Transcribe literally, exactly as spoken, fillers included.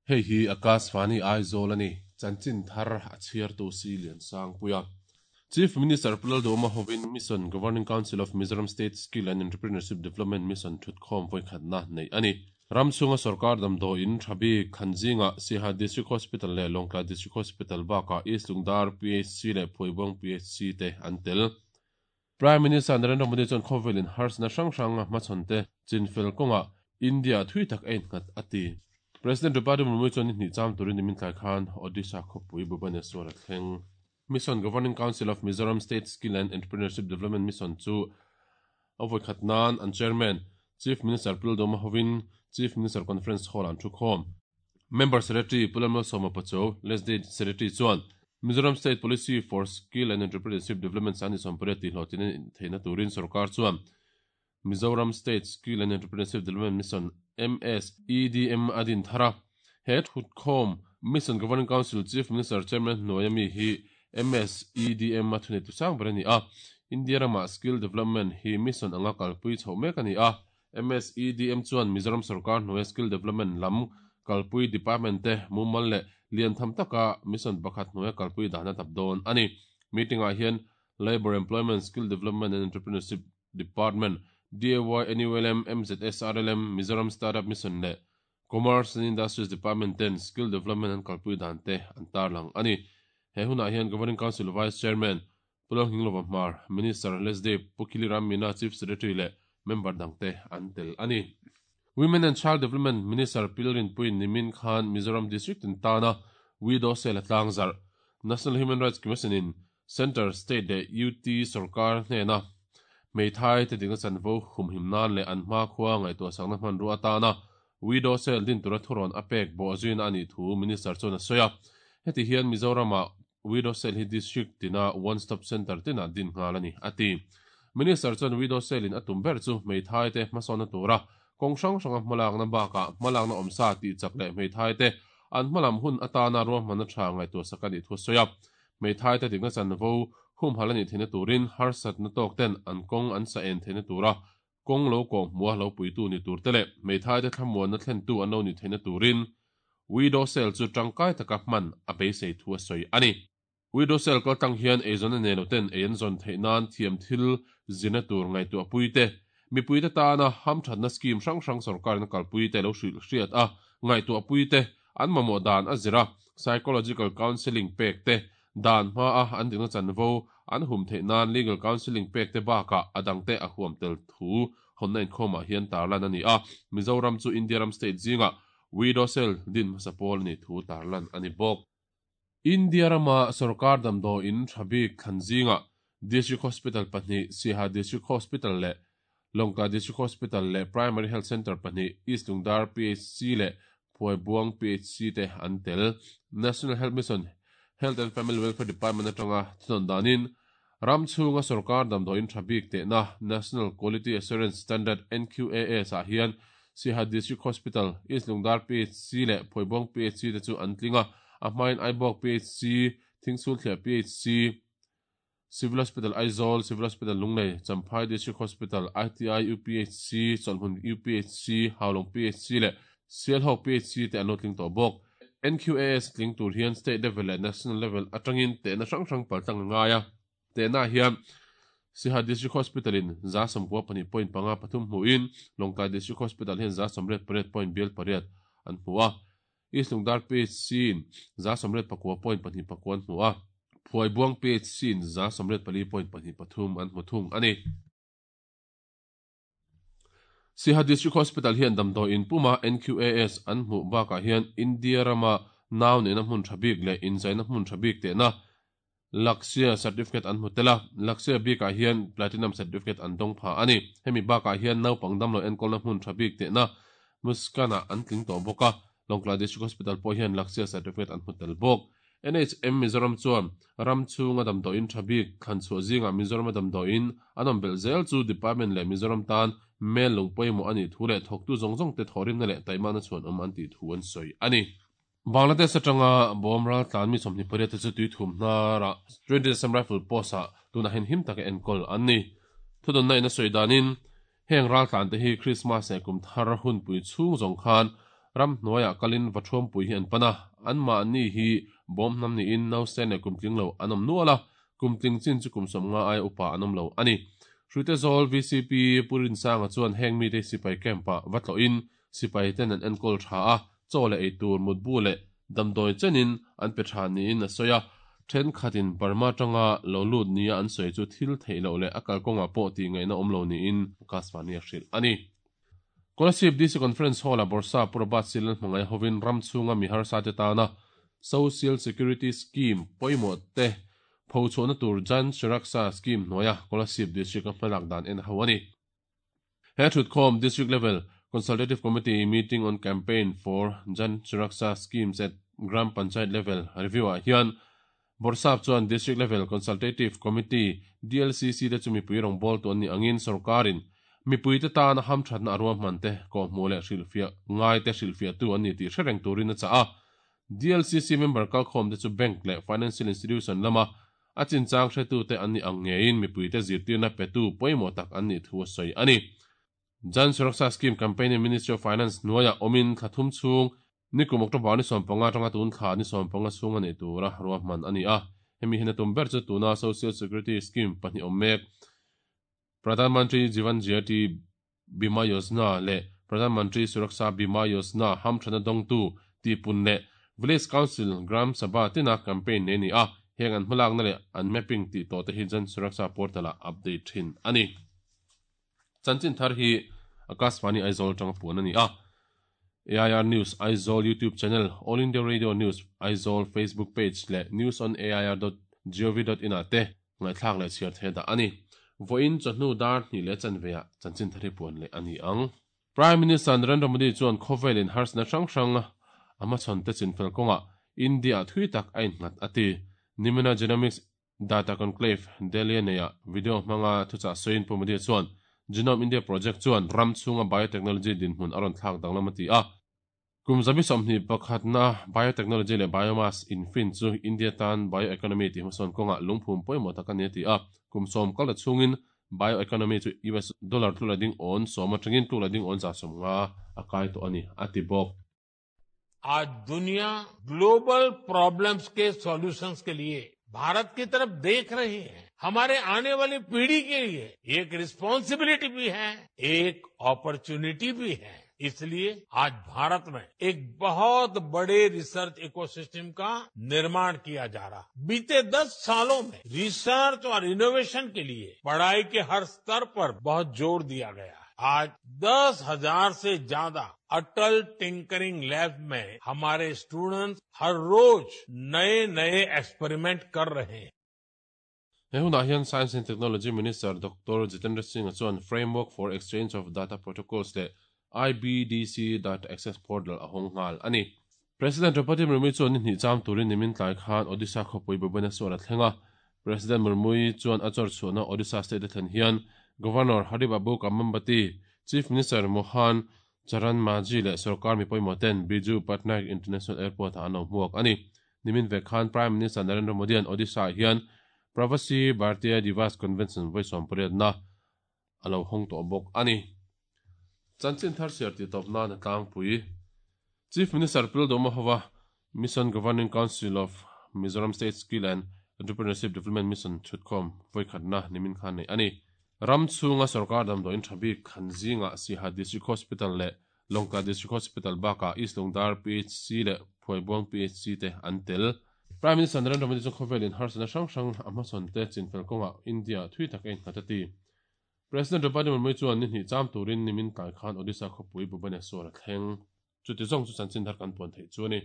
Hei hi Akashvani Aizawl ani chanchin thar a chhiar tu si lian sang puia Chief Minister Pu Lalduhoma hovin Mission Governing Council of Mizoram State Skill and Entrepreneurship Development Mission thutkhawm vawikhatna nei ani Ramchhunga sarkar damdawiin thabi Khanzinga Siaha District Hospital leh Lawngtlai District Hospital bakah East Lungdar P H C leh Phuaibuang P H C te an tel Prime Minister Narendra Modi chuan khawvelin harsna hrang hranga hmachhawn te chinfel kawnga India thui tak a innghat a ti President Draupadi Murmu chuan ni hnih cham turin nimin tlai khan Odisha khawpui Bhubaneswar a thleng Mission Governing Council of Mizoram State Skill and Entrepreneurship Development Mission chu a vawikhat nan an Chairman Chief Minister Pu Lalduhoma hovin Chief Minister Conference Hall an thukhawm Member Secretary Pu Lalmalsawma Pachuau Leslie Secretary chuan Mizoram State Policy for Skill and Entrepreneurship Development sani sawmpariat tih hlawhtlin theihna turin sarkar chuan Mizoram State Skill and Entrepreneurship Development Mission M S E D M adin thara he thutkhawm Mission Governing Council Chief Minister Chairman hnuaia hi M S E D M a thunei tu sang ber ani a India rama Skill Development hi mission anga kalpui chho mek ani a M S E D M chuan Mizoram sarkar hnuaia Skill Development lam kalpui department te mumal leh lian tham taka mission pakhat hnuaia kalpui dahna tap dawn ani meeting ah hian Labour Employment Skill Development and Entrepreneurship Department D A Y N U L M M Z S R L M Mizoram Startup Mission le Commerce and Industries Department ten Skill Development and kalpui dan te an tarlang ani he hunah hian Governing Council Vice Chairman Pu Lalnghinglova Hmar Minister Leslie Pu Khiliram Meena Chief Secretary le member dangte an tel ani Women and Child Development Minister Pilrin Puin Nimin Khan Mizoram District in Tana Widow Sel Tlangzar National Human Rights Commission in Center State le U T Sarkar hnena Meithai te dingna chanvo humhim nan le an hma khua ngai to sangna hman ru atana Widow Sel din tura thuron apek bo zuin ani thu Minister chuan a sawi a heti hian Mizorama Widow Sel hi district tina one stop center tina din nghal ani ati Minister chuan Widow Sel in atum ber chu Meithai te hmasawna tura kawng hrang hranga hmalakna bakah hmalakna awmsa tih chak leh Meithai te an hmalam hun atana ruahmanna tha ngai tur sak ani thu sawi a Meithai te dingna chanvo humhal ani theihna turin harsatna tawk ten an kawng an sa en theihna tura kawng lo kawng hmua lo puitu ni tur te leh Meithai te thlamuanna thlentu an lo ni theihna turin Widow Sel chu tangkai taka hman a beisei thu a sawi ani Widow Sel kal tang hian eizawn a nei lo ten ei an zawn theih nan thiam thil zina tur ngaihtuah pui te mipui te tana hamthatna scheme hrang hrang sarkarna kalpui te lo hrilh hriat a ngaihtuah pui te an mamawh dan a zira psychological counselling pek te dan hma a an dingna chanvo an hum theih nan legal counselling pek te bakah a dangte a huam tel thu hawnna inkhawmah hian tarlan ani a Mizoram chu India ram state zinga Widow Sel din hmasa pawl ani thu tarlan ani bawk India rama sarkar damdawiin thabik Khanzinga District Hospital pahnih Siaha District Hospital le Lawngtlai District Hospital le Primary Health Center pahnih East Lungdar P H C le Phuaibuang P H C te an tel National Health Mission Health and Family Welfare Department atanga thunawn danin Ramchhunga sarkar damdawiin thabik tehna National Quality Assurance Standard N Q A S ah hian Siaha District Hospital East Lungdar P H C le Phuaibuang P H C te chu an tlinga a hmain Aibawk P H C Thingsulthliah P H C Civil Hospital Aizawl Civil Hospital Lunglei Champhai District Hospital I T I U P H C Chawlhmun U P H C Haulawng P H C le Sialhawk P H C te an lo tling tawh bawk N Q A S tling tur hian state level leh national level atangin tehna hrang hrang paltlang a ngai a tehna hian Siaha District Hospital in za sawmkua pahnih point panga pathum hmuhin Lawngtlai District Hospital hian za sawmriat pariat point bial pariat an hmu a East Lungdar P H C in za sawmriat pakua point pahnih pakua an hmu a Phuaibuang P H C in za sawmriat pali point pahnih pathum an hmu thung ani Siaha District Hospital hian damdawiin puma N Q A S an hmuh bakah hian India rama nau neihna hmun thabik leh inzaina hmun thabik tehna Lakshya certificate an hmu tel a Lakshya bikah hian Platinum certificate an dawng pha ani hemi bakah hian naupang damlo enkawlna hmun thabik tehna Muskana an tling tawh bawk a Lawngtlai District Hospital pawh hian Lakshya certificate an hmu tel bawk N H M Mizoram chuan Ramchhunga damdawiin thabik thlanchhuah zinga Mizoram damdawiin an awm belh zel chu department leh Mizoram tan mel lung pawimawh ani thu leh thawktu zawng zawng te thawhrimna leh taimana chuan awm an tih thu an sawi ani. Bangladesh atanga bawm ral tlan mi sawmhnih pariat te chu tui thum hnarah Twenty Assam Rifle Post-ah tunah hian him taka enkawl an ni. Thudawnna in a sawi danin heng ral tlan te hi Christmas leh kum thar hunpui chhung zawng khan ram hnuaiah kalin va thuampui hi an pan a, anmahni hi bawm hnam niin nausen leh kum tling lo an awm nual a, kum tling chin chu kum sawmnga aia upa an awm lo a ni. Hruitezawl V C P Pu Rinsanga chuan heng mite sipai camp-ah va tlawhin sipai ten an enkawl tha a, chaw leh eitur mutbu leh damdawi chenin an pe tha niin a sawi a, thenkhatin Burma tanga lo lut nia an sawi chu thil theih loh leh a kalkawngah pawh tih ngaihna awm lo niin Akashvani a hrilh a ni. Kolasib D C Conference Hall-a Borsa Purabat Silal hmangaih hovin ram chhunga mi harsa te tana Social Security Scheme pawimawh te phochhuahna tur Jan Suraksha Scheme hnuaia Kolasib District a hmalak dan en ho a ni. He thutkhawm District Level Consultative Committee Meeting on Campaign for Jan Suraksha Schemes at Gram Panchayat Level review-ah hian Borsap chuan District Level Consultative Committee D L C C te chu mipui rawngbâwl tu an nih angin sorkarin mipui te tana hamthatna a ruahman te kawhhmuh leh hrilhfiah ngai te hrilhfiahtu an ni tih hre reng turin a chah a. D L C C member kalkhawm te chu bank leh financial institution lama a chinchang hretu te an nih ang ngeiin mipui te zirtirna petu pawimawh tak an nih thu a sawi a ni. Jan Suraksha Scheme campaign in Ministry of Finance hnuaiah awmin thla thum chhung nikum October ni sawm panga atanga tun thla ni sawm panga chhung a nei tura ruahman a ni a. Hemi hian a tum ber chu tuna Social Security Scheme pahnih awm mek Pradhan Mantri Jeevan Jyoti Bima Yojana leh Pradhan Mantri Suraksha Bima Yojana hamthana dawngtu tihpun leh Village Council Gram Sabha tina campaign nei ni a, heng an hmalakna leh an mapping tih tawh te hi Jan Suraksha portal ah update thin a ni. Chanchin thar hi Akashvani Aizawl tanga puan a ni a. A I R News Aizawl YouTube channel, All India Radio News Aizawl Facebook page leh news on A I R dot gov dot in ah te ngaihthlak leh chhiar thei dah a ni. Vawiin chawhnu dar hnih leh chanveah chanchin thar hi puan leh a ni ang. Prime Minister Narendra Modi chuan khawvelin harsna hrang hrang a hmachhawn te chinfel kawngah India thui tak a innghat a ti. Nimina Genomics Data Conclave Delhi neia video hmanga thuchah sawiin Pu Modi chuan Genome India Project chuan ram chhunga biotechnology dinhmun a rawn thlak danglam a ti a. Kum zabi sawmhnih pakhatna biotechnology leh biomass infin chu India tan bioeconomy tih hmasawn kawngah lungphum pawimawh tak a ni a ti a. Kum sawm kal ta chhungin bioeconomy chu U S dollar tlula ding awn sawm atangin tlula ding awn za sawm nga a kai tawh a ni a ti bawk. आज दुनिया global problems के solutions के लिए भारत की तरफ देख रही है। हमारे आने वाली पीढ़ी के लिए एक रिस्पॉन्सिबिलिटी भी है, एक अपॉर्चुनिटी भी है। इसलिए आज भारत में एक बहुत बड़े रिसर्च इकोसिस्टम का निर्माण किया जा रहा है। बीते दस सालों में रिसर्च और इनोवेशन के लिए पढ़ाई के हर स्तर पर बहुत जोर दिया गया है। आज दस हजार से ज्यादा अटल टिंकरिंग लैब में हमारे स्टूडेंट्स हर रोज नए-नए एक्सपेरिमेंट कर रहे हैं। He hunah hian Science and Technology Minister Doctor Jitendra Singh chuan Framework for Exchange of Data Protocols leh I B D C Data Access Portal a hawng nghal a ni. President Draupadi Murmu chuan ni hnih cham turin nimin tlai khan Odisha khawpui Bhubaneswar a thleng a. President Murmu chuan a chawr chhuahna Odisha state a thlen hian Governor Haribabu Kambhampati, Chief Minister Mohan Charan Majhi leh Sarkar mi pawimawh ten Biju Patnaik International Airport ah an lo hmuak a ni. Nimin vek khan Prime Minister Narendra Modi an Odisha hian Pravasi Bharatiya Divas Convention vawi pariatna a lo hawng tawh bawk a ni. Chanchin thar siar tih tawp nan a tlangpui. Chief Minister Pu Lalduhoma hova Mission Governing Council of Mizoram State Skill and Entrepreneurship Development Mission thutkhawm vawi khatna nimin khan nei a ni. Ram chhunga sarkar damdawiin tha bik khan zinga Siaha District Hospital leh Lawngtlai District Hospital bakah East Lungdar P H C leh Phuaibuang P H C te an tel. Prime Minister Narendra Modi chu khawvelin harsana hrang hrang a hmasawn te chinfel kawngah India thui tak a innghat a ti. President Draupadi Murmu chuan ni hnih cham turin nimin tlai khan Odisha khawpui Bhubaneswar a thleng. Chuti zawng chu chanchin thar kan puan theih chu a ni.